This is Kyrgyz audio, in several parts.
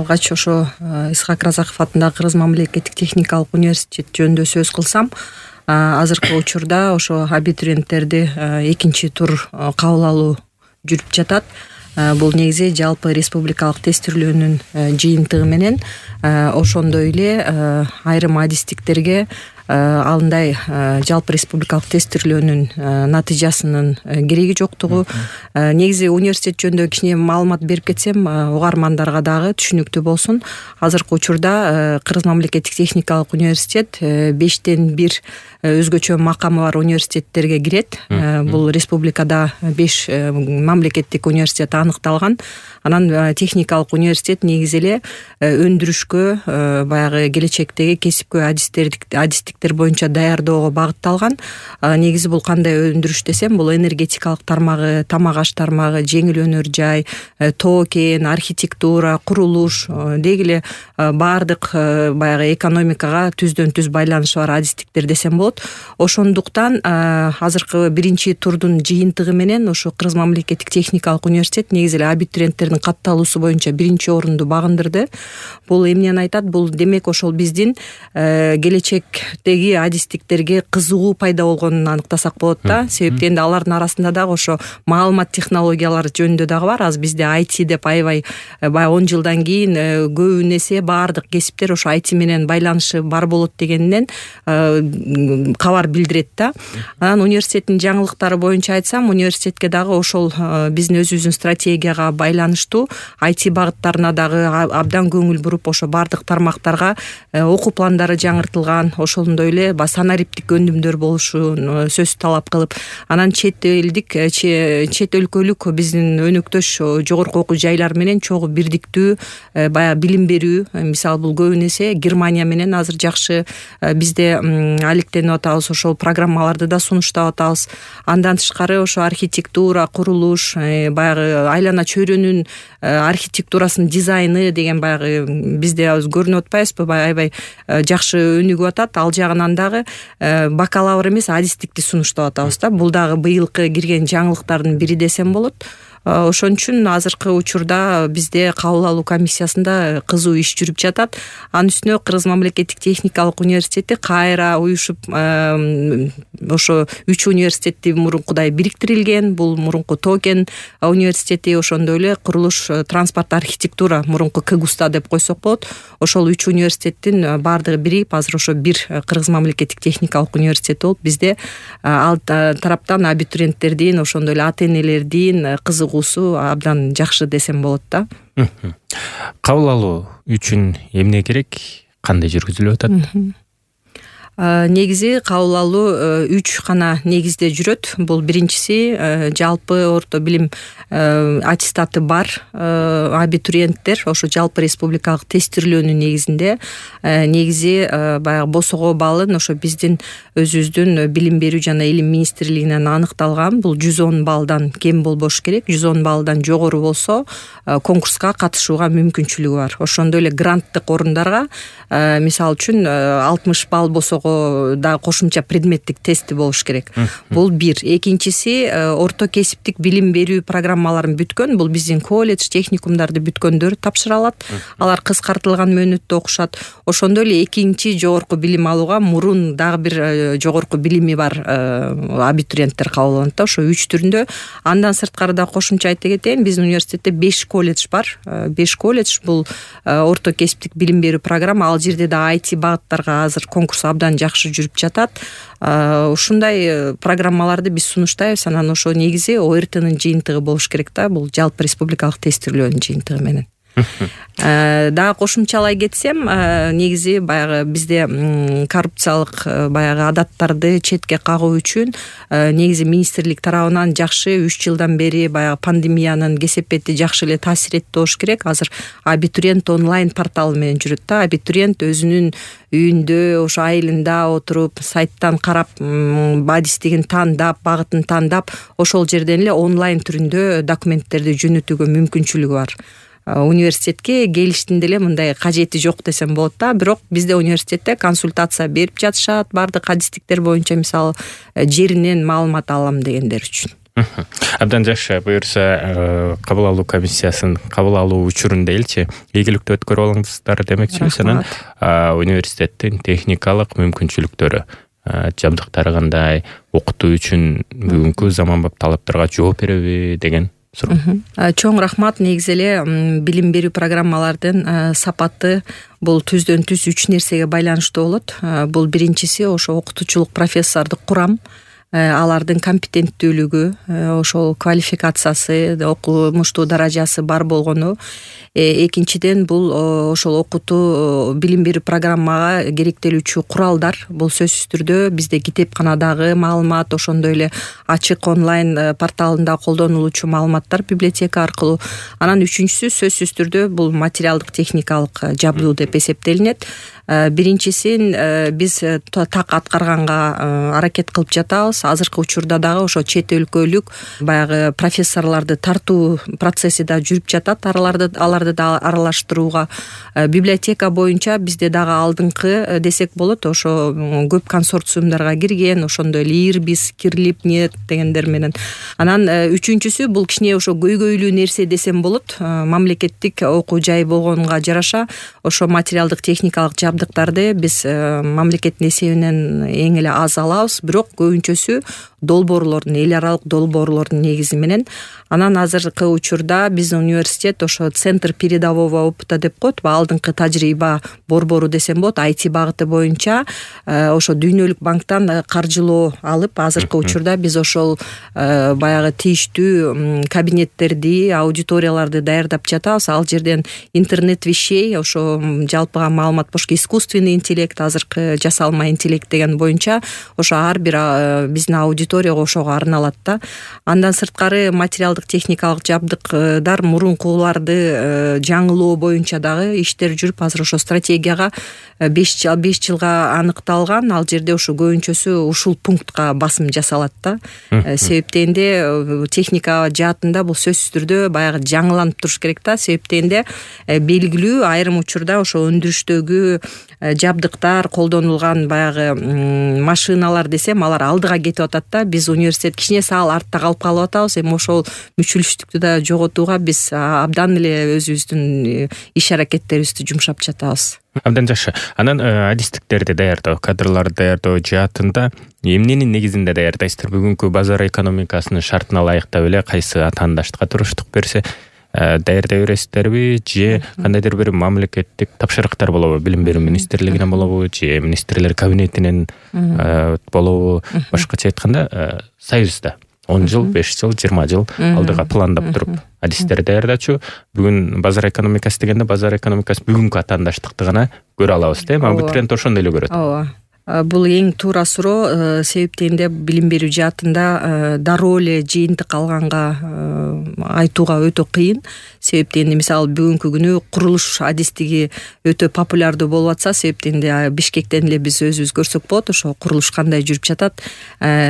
алгач ошо Исхак Разаков атындагы Кыргыз мамлекеттик техникалык университет жөнүндө сөз кылсам, азыркы учурда ошо абитуриенттерди экинчи тур кабыл алуу жүрүп жатат. Бул негизи жалпы республикалык тестирлөөнүн жыйынтыгы менен, ошондой эле айрым адистиктерге алындай жалпы республикалык тестирлөөнүн натыйжасынын кереги жоктугу. Негизи университет жөнүндө кичине маалымат берип кетсем, угармандарга дагы түшүнүктүү болсун. Азыркы учурда Кыргыз мамлекеттик техникалык университет 5тен 1 өзгөчө макамы бар университеттерге кирет. Бул республикада 5 мамлекеттик университет аныкталган. Анан техникалык университет негизи эле өндүрүшкө, баягы келечектеги кесипкөй адистиктер боюнча даярдоого багытталган. Негизи бул кандай өндүрүш десем, бул энергетикалык тармагы, тамак аш тармагы, жеңил өнөр жай, тоо кен, архитектура, курулуш, деги эле баардык баягы экономикага түздөн түз байланышы бар адистиктер десем болот. Ошондуктан азыркы биринчи турдун жыйынтыгы менен ошо Кыргыз мамлекеттик техникалык университет негизи эле абитуриенттердин катталуусу боюнча биринчи орунду багындырды. Бул эмнени айтат? Бул демек ошол биздин келечектеги адистиктерге кызыгуу пайда болгонун аныктасак болот да. Себеби энди алардын арасында дагы ошо маалымат технологиялары жөнүндө дагы бар. Азыр бизде IT деп аябай 10 жылдан кийин көбүн эсе баардык кесиптер ошо IT менен байланышы бар болот дегенден кабар билдирет да. Анан университеттин жаңылыктары боюнча айтсам, университетке дагы ошол биздин өзүбүздүн стратегияга байланыштуу IT багыттарына дагы абдан көңүл буруп, ошо баардык тармактарга окуу пландары жаңыртылган. Ошондой эле санариптик өнүмдөр болушун сөз талап кылып, анан чет өлкөлүк биздин өнөктөш жогорку окуу жайлар менен чогуу бирдиктүү баягы билим берүү. Мисалы бул көбүн эсе Германия менен азыр жакшы бизде алектенип атабыз, ошол программаларды да сунуштап атабыз. Андан тышкары ошо архитектура, курулуш, баягы айлана чөйрөнүн архитектурасынын дизайны деген баягы бизде көрүнүп атпайбызбы, аябай жакшы өнүгүп атат. Ал жагынан дагы бакалавр эмес, адистикти сунуштап атабыз да. Бул дагы быйылкы кирген жаңылыктардын бири десем болот. Ошон үчүн азыркы учурда бизде кабыл алуу комиссиясында кызуу иш жүрүп жатат. Анын үстүнө Кыргыз мамлекеттик техникалык университети кайра уюшуп, ошо 3 университетти мурункудай бириктирилген. Бул мурунку тоо кен университети, ошондой эле курулуш, транспорт, архитектура, мурунку КГУСТа деп койсок болот. Ошол 3 университеттин баардыгы бирип азыр ошо бир Кыргыз мамлекеттик техникалык университет болуп, бизде ал тараптан абитуриенттердин, ошондой эле ата энелердин кызыгуусу абдан жакшы десем болот да. Кабыл алуу үчүн эмне керек? Кандай жүргүзүлүп атат? Негизи кабыл алуу 3 гана негизде жүрөт. Бул биринчиси жалпы орто билим аттестаты бар абитуриенттер ошо жалпы республикалык тестирлөөнүн негизинде негизи баягы босого балын ошо биздин өзүбүздүн билим берүү жана илим министрлигинен аныкталган. Бул 110 баллдан кем болбош керек. 110 баллдан жогору болсо конкурска катышууга мүмкүнчүлүгү бар. Ошондой эле гранттык орундарга мисалы үчүн 60 балл болсо да кошумча предметтик тести болуш керек. Бул бир. Экинчиси орто кесиптик билим берүү программаларын бүткөн, бул биздин колледж, техникумдарды бүткөндөр тапшыра алат. Алар кыскартылган мөөнөттө окушат. Ошондой эле экинчи жогорку билим алууга мурун дагы бир жогорку билими бар абитуриенттер кабыл алынат да, ошо 3 түрүндө. Андан сырткары да кошумча айта кетейин, биздин университетте 5 колледж бар. 5 колледж бул орто кесиптик билим берүү программа. Ал жерде да IT багыттарга азыр конкурс абдан жакшы жүрүп жатат. Ушундай программаларды биз сунуштайбыз. Анан ошо негизи ОРТнын жыйынтыгы болуш керек да, бул жалпы республикалык тестирлөөнүн жыйынтыгы менен. Дагы кошумчалай кетсем, негизи баягы бизде коррупциялык баягы адаттарды четке кагуу үчүн негизи министрлик тарабынан жакшы 3 жылдан бери баягы пандемиянын кесепети жакшы эле таасир этти болуш керек. Азыр абитуриент онлайн порталы менен жүрөт да. Абитуриент өзүнүн үйүндө, ошо айылында отуруп, сайттан карап, адистигин тандап, багытын тандап, ошол жерден эле онлайн түрүндө документтерди жөнөтүүгө мүмкүнчүлүгү бар. Университетке келиштин деле мындай кажети жок десем болот да. Бирок бизде университетте консультация берип жатышат баардык адистиктер боюнча, мисалы жеринен маалымат алам дегендер үчүн. Абдан жакшы. Буюрса кабыл алуу комиссиясын кабыл алуу учурун делчи ийгиликтүү өткөрүп алыңыздар демекчибиз. Анан университеттин техникалык мүмкүнчүлүктөрү, жабдыктары кандай, окутуу үчүн бүгүнкү заманбап талаптарга жооп береби деген суроо. Чоң рахмат. Негизи эле билим берүү программалардын сапаты бул түздөн түз 3 нерсеге байланыштуу болот. Бул биринчиси ошо окутуучулук профессордук курам, алардын компетенттүүлүгү, ошол квалификациясы, окумуштуу даражасы бар болгону. Экинчиден бул ошол окутуу билим берүү программага керектелүүчү куралдар. Бул сөзсүз түрдө бизде китепканадагы маалымат, ошондой эле ачык онлайн порталында колдонулуучу маалыматтар библиотека аркылуу. Анан үчүнчүсү сөзсүз түрдө бул материалдык техникалык жабдуу деп эсептелинет. Биринчисин биз так аткарганга аракет кылып жатабыз. Азыркы учурда дагы ошо чет өлкөлүк баягы профессорлорду тартуу процесси да жүрүп жатат. Аларды да аралаштырууга библиотека боюнча бизде дагы алдыңкы десек болот, ошо көп консорциумдарга кирген, ошондой эле Ирбис, Кирлипнет дегендер менен. Анан үчүнчүсү бул кичине ошо көйгөйлүү нерсе десем болот. Мамлекеттик окуу жай болгонга жараша ошо материалдык техникалык жабдыктарды биз мамлекеттин эсебинен эң эле аз алабыз, бирок көбүнчөсү долбоорлордун, эл аралык долбоорлордун негизи менен. Анан азыркы учурда биздин университет ошо центр передового опыта деп коет, алдыңкы тажрыйба борбору десем болот, IT багыты боюнча ошо дүйнөлүк банктан каржылоо алып, азыркы учурда биз ошол баягы тийиштүү кабинеттерди, аудиторияларды даярдап жатабыз. Ал жерден интернет вещей, ошо жалпыга маалымат бошко искусственный интеллект, азыркы жасалма интеллект деген боюнча ошо ар бир биздин аудиторияга ошого арналат да. Андан сырткары материалдык техникалык жабдыктар мурункуларды жаңылоо боюнча дагы иштер жүрүп, азыр ошо стратегияга 5 жылга аныкталган. Ал жерде ошо көбүнчөсү ушул пунктка басым жасалат да. Себептенде техника жаатында бул сөзсүз түрдө баягы жаңыланып туруш керек да. Себептенде белгилүү айрым учурда ошо өндүрүштөгү жабдыктар, колдонулган баягы машиналар десем, алар алдыга кетип атат да. Биз университет кичине саал артта калып атабыз. Эми ошол мүчүлүштүктү да жоготууга биз абдан эле өзүбүздүн иш аракеттерибизди жумшап жатабыз. Абдан жакшы. Анан адистиктерди даярдоо, кадрларды даярдоо жаатында эмненин негизинде даярдайсыздар? Бүгүнкү базар экономикасынын шартына ылайыктап эле кайсы атаандаштыкка туруштук берсе даярдай бересиздерби, же кандайдыр бир мамлекеттик тапшырыктар болобу? Билим берүү министрлигинен болобу, же министрлер кабинетинен болобу? Башкача айтканда, союзда 10 жыл, 5 жыл, 20 жыл алдыга пландап туруп адистер даярдачу. Бүгүн базар экономикасы дегенде базар экономикасы бүгүнкү атаандаштыкты гана көрө алабыз, да? Абитуриент ошондой эле көрөт. Ооба. Бул эң туура суроо. Себептенде билим берүү жаатында дароо эле жыйынтык алганга айтууга өтө кыйын. Себептенде мисалы бүгүнкү күнү курулуш адистиги өтө популярдуу болуп атса, себептенде Бишкектен эле биз өзүбүз көрсөк болот, ошо курулуш кандай жүрүп жатат.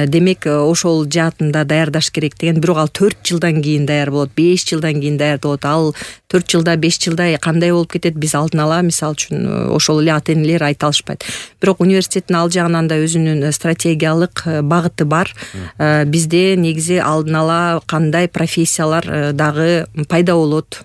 Демек ошол жаатында даярдаш керек деген, бирок ал 4 жылдан кийин даяр болот, 5 жылдан кийин даяр болот. Ал 4 жылда, 5 жылда кандай болуп кетет, биз алдын ала мисалы үчүн ошол эле ата энелер айта алышпайт. Бирок университет ал жагынан да өзүнүн стратегиялык багыты бар. Бизде негизи алдын ала кандай профессиялар дагы пайда болот,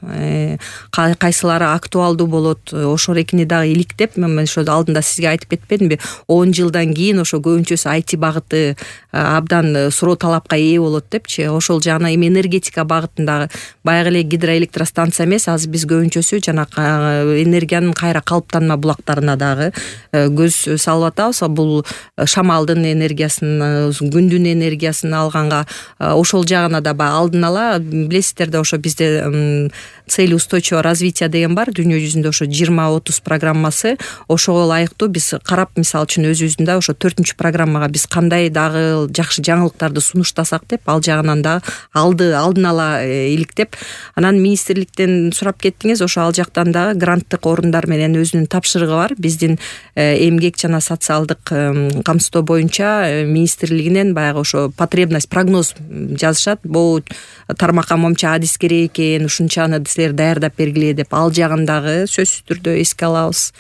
кайсылары актуалдуу болот, ошорекини дагы иликтеп, мен ошо алдында сизге айтып кетпедимби, 10 жылдан кийин ошо көбүнчөсү IT багыты абдан суроо талапка ээ болот депчи. Ошол жагына эми энергетика багытындагы баягы эле гидроэлектростанция эмес, азыр биз көбүнчөсү жана энергиянын кайра калыптанма булактарына дагы көз салып атабыз. Бул шамалдын энергиясын, күндүн энергиясын алганга ошол жагына да алдын ала билесиздер да, ошо бизде цели устойчивого развития деген бар. Дүйнө жүзүндө ошо 20-30 программасы. Ошого ылайыктуу биз карап, мисалы үчүн өзүбүздүн да ошо 4-чү программага биз кандай дагы жакшы жаңылыктарды сунуштасак деп, ал жагынан да алдын ала иликтеп, анан министрликтен сурап кеттиңиз, ошо ал жактан дагы гранттык орундар менен өзүнүн тапшырыгы бар. Биздин эмгек жана социалдык камсыздоо боюнча министрлигинен баягы ошо потребность, прогноз жазышат. Бул тармакка момча адис керек экен, ушунчаны силер даярдап бергиле деп, ал жагын дагы сөзсүз түрдө эске алабыз.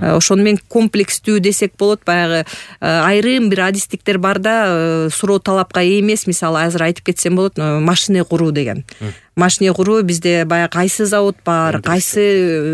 Ошону менен комплекстүү десек болот. Баягы айрым бир адистиктер бар да, суроо талапка эмес. Мисалы азыр айтып кетсем болот, машина куруу деген. Машина куруу bizde баягы кайсы завод бар, кайсы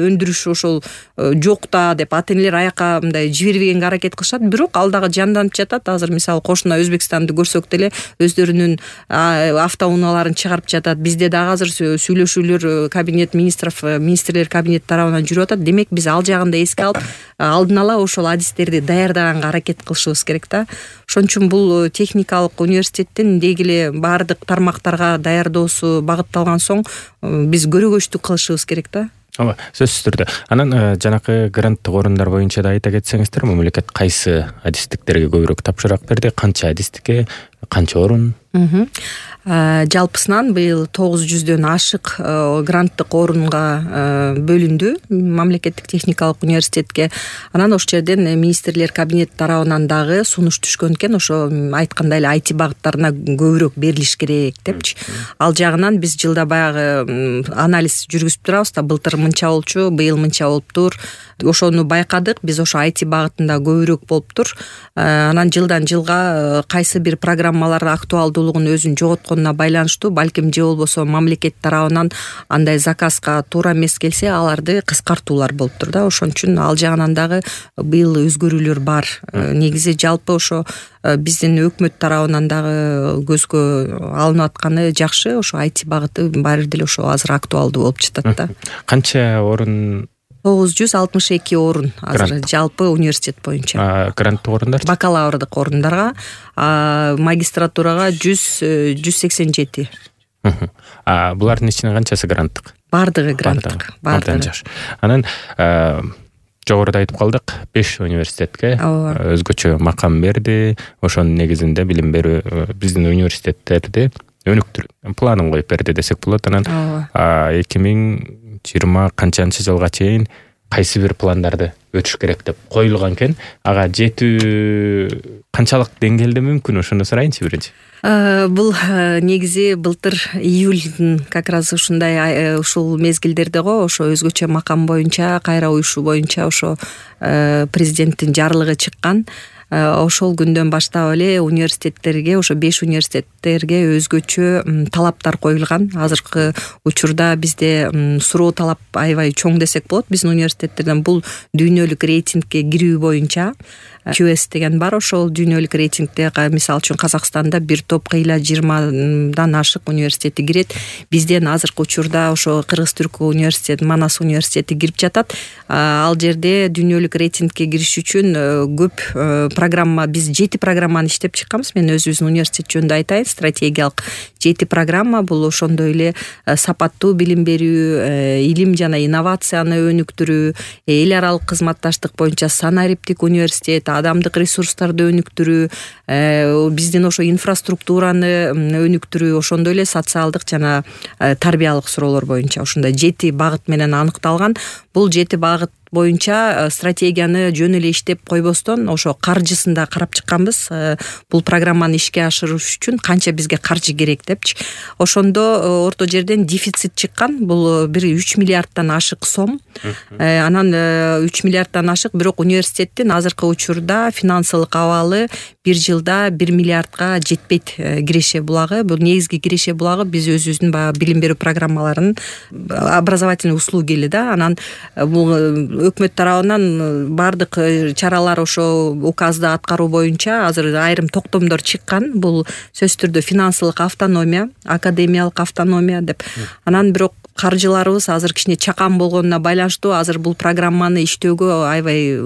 өндүрүш ошол жок да деп ата-энелер аяка мындай жибербегенге аракет кылышат. Бирок ал дагы жанданып жатат. Азыр мисалы кошуна Өзбекстанды көрсөк деле өздөрүнүн автоунааларын чыгарып жатат. Бизде дагы азыр сүйлөшүүлөр кабинет министров, министрлер кабинети тарабынан жүрүп атат. Демек биз ал жагын да эске алып, алдын ала ошол адистерди даярдаганга аракет кылышыбыз керек да. Ошон үчүн бул техникалык университеттин деги эле баардык тармактарга даярдоосу багытталган соң биз көрөгөчтүк кылышыбыз керек да. Ооба, сөзсүз түрдө. Анан жанакы гранттык орундар боюнча да айта кетсеңиздер, мамлекет кайсы адистиктерге көбүрөөк тапшырык берди, канча адистикке, канча орун? Жалпысынан быйыл 900дөн ашык гранттык орунга бөлүндү мамлекеттик техникалык университетке. Анан ошол жерден министрлер кабинети тарабынан дагы сунуш түшкөн экен, ошо айткандай эле IT багыттарына көбүрөөк берилиш керек депчи. Ал жагынан биз жылда баягы анализ жүргүзүп турабыз да, былтыр мынча болчу, быйыл мынча болуптур. Ошону байкадык, биз ошо IT багытында көбүрөөк болуптур. Анан жылдан жылга кайсы бир программалар актуалдуулугун өзүн жоготконуна байланыштуу, балким же болбосо мамлекет тарабынан андай заказга туура эмес келсе, аларды кыскартуулар болуптур да. Ошон үчүн ал жагынан дагы быйыл өзгөрүүлөр бар. Негизи жалпы ошо биздин өкмөт тарабынан дагы көзгө алынып атканы жакшы. Ошо IT багыты баары деле ошо азыр актуалдуу болуп жатат да. Канча орун? 962 орун азыр жалпы университет боюнча. Гранттык орундар? Бакалаврдык орундарга, магистратурага 187. Булардын ичинен канчасы гранттык? Бардыгы гранттык. Бардыгы жакшы. Анан жогоруда айтып калдык, 5 университетке өзгөчө макам берди. Ошонун негизинде билим берүү биздин университеттерди өнүктүрүү планын коюп берди десек болот. Анан 2020 канчанчы жылга чейин кайсы бир пландарды өтүш керек деп коюлган экен. Ага жетүү канчалык деңгээлде мүмкүн, ошону сурайынчы биринчи. Бул негизи былтыр июлдун как раз ушундай ушул мезгилдерде го ошо өзгөчө макам боюнча, кайра уюшу боюнча ошо президенттин жарлыгы чыккан. Ошол күндөн баштап эле университеттерге, ошо 5 университеттерге өзгөчө талаптар коюлган. Азыркы учурда бизде суроо талап аябай чоң десек болот. Биздин университеттерден бул дүйнөлүк рейтингке кирүү боюнча QS деген бар. Ошол дүйнөлүк рейтингде мисалы үчүн Казакстанда бир топ кыйла 20дан ашык университети кирет. Бизден азыркы учурда ошо Кыргыз-Түрк университети, Манас университети кирип жатат. Ал жерде дүйнөлүк рейтингке кириш үчүн көп программа, биз 7 программаны иштеп чыкканбыз. Мен өзүбүздүн университет жөнүндө айтайын. Стратегиялык 7 программа бул ошондой эле сапаттуу билим берүү, илим жана инновацияны өнүктүрүү, эл аралык кызматташтык боюнча санариптик университет, адамдык ресурстарды өнүктүрүү, биздин ошо инфраструктураны өнүктүрүү, ошондой эле социалдык жана тарбиялык суроолор боюнча ушундай 7 багыт менен аныкталган. Бул 7 багыт боюнча стратегияны жөн эле иштеп койбостон ошо каржысын да карап чыкканбыз. Бул программаны ишке ашырыш үчүн канча бизге каржы керек депчи. Ошондо орто жерден дефицит чыккан. Бул бир 3 миллиардтан ашык сом. Анан 3 миллиардтан ашык, бирок университеттин азыркы учурда финансылык абалы бир жылда 1 миллиардка жетпейт киреше булагы. Бул негизги киреше булагы биз өзүбүздүн баягы билим берүү программаларынын образовательный услуги эле да. Анан бул өкмөт тарабынан бардык чаралар ошо указды аткаруу боюнча азыр айрым токтомдор чыккан. Бул сөзсүз түрдө финансылык автономия, академиялык автономия деп. Анан бирок каржыларыбыз азыр кичине чакан болгонуна байланыштуу азыр бул программаны иштөөгө аябай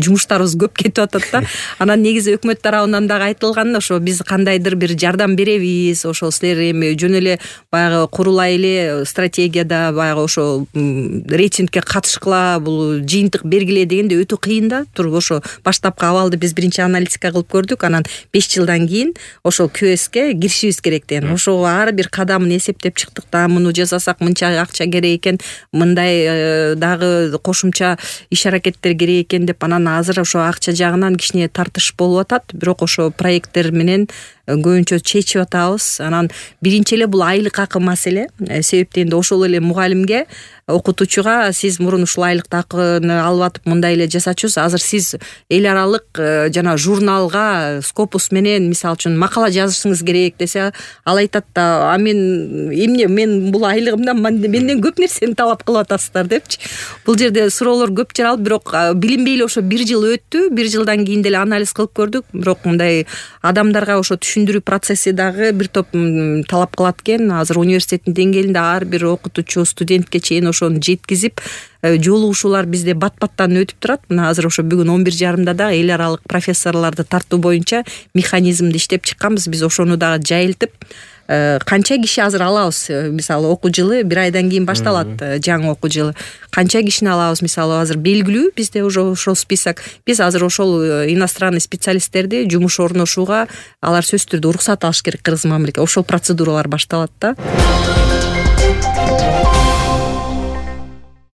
жумуштарыбыз көп кетип атат да. Анан негизи өкмөт тарабынан дагы айтылган, ошо биз кандайдыр бир жардам беребиз, ошо силер эми жөн эле баягы курулай эле стратегияда баягы ошо рейтингке катышкыла, бул жыйынтык бергиле дегенде өтө кыйын да. Туруп ошо баштапкы абалды биз биринчи аналитика кылып көрдүк, анан 5 жылдан кийин ошо КСке киришибиз керек деген. Ошого ар бир кадамын эсептеп чыктык да, муну жасасак мынча акча керек экен, мындай дагы кошумча иш аракеттер керек экен деп. Анан азыр ошо акча жагынан кичине тартыш болуп атат, бирок ошо проекттер менен көбүнчө чечип атабыз. Анан биринчи эле бул айлык акы маселе. Себеп дегенде ошол эле мугалимге, окутуучуга сиз мурун ушул айлык акыны алып атып мындай эле жасачусуз, азыр сиз эл аралык жана журналга Scopus менен мисалы үчүн макала жазышыңыз керек десе, ал айтат да, мен эмне, мен бул айлыгымдан менден көп нерсени талап кылып атасыздар депчи. Бул жерде суроолор көп жаралып, бирок билинбей эле ошо 1 жыл өттү. 1 жылдан кийин деле анализ кылып көрдүк, бирок мындай адамдарга ошо түшүндүрүү процесси дагы бир топ талап кылат экен. Азыр университеттин деңгээлинде ар бир окутуучу, студентке чейин ошону жеткизип, жолугушуулар бизде бат-баттан өтүп турат. Мына азыр ошо бүгүн 11:30 да эл аралык профессорлорду тартуу боюнча механизмди иштеп чыкканбыз. Биз ошону дагы жайылтып, канча киши азыр алабыз? Мисалы окуу жылы 1 айдан кийин башталат, жаңы окуу жылы. Канча кишини алабыз? Мисалы азыр белгилүү бизде уже ошол список. Биз азыр ошол иностранный специалисттерди жумуш орношууга алар сөзсүз түрдө уруксат алыш керек Кыргыз мамлекети. Ошол процедуралар башталат да.